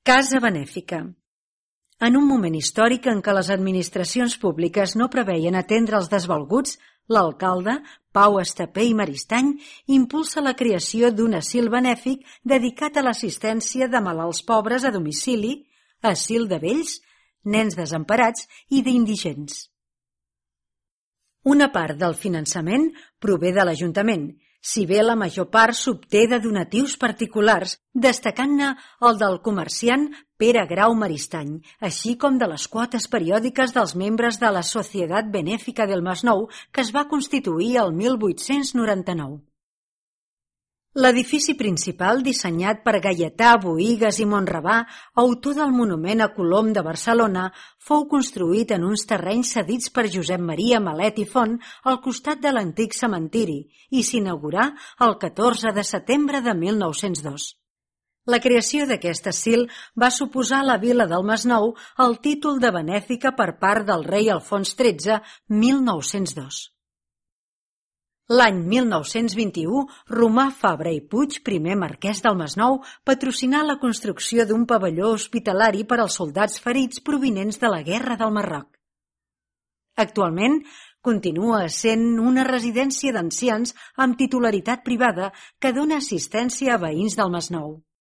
Casa benèfica. En un moment històric en què les administracions públiques no preveien atendre els desvalguts, l'alcalde, Pau Estapé i Maristany, impulsa la creació d'un asil benèfic dedicat a l'assistència de malalts pobres a domicili, asil de vells, nens desemparats i d'indigents. Una part del finançament prové de l'Ajuntament, si bé la major part s'obté de donatius particulars, destacant-ne el del comerciant Pere Grau Maristany, així com de les quotes periòdiques dels membres de la Societat Benèfica del Masnou, que es va constituir el 1899. L'edifici principal, dissenyat per Gaietà Boïgues i Monravà, autor del monument a Colom de Barcelona, fou construït en uns terrenys cedits per Josep Maria Malet i Font al costat de l'antic cementiri i s'inaugurà el 14 de setembre de 1902. La creació d'aquest asil va suposar a la vila del Masnou el títol de benèfica per part del rei Alfons XIII, 1902. L'any 1921, Romà Fabra i Puig, primer marquès del Masnou, patrocinà la construcció d'un pavelló hospitalari per als soldats ferits provinents de la Guerra del Marroc. Actualment, continua essent una residència d'ancians amb titularitat privada que dona assistència a veïns del Masnou.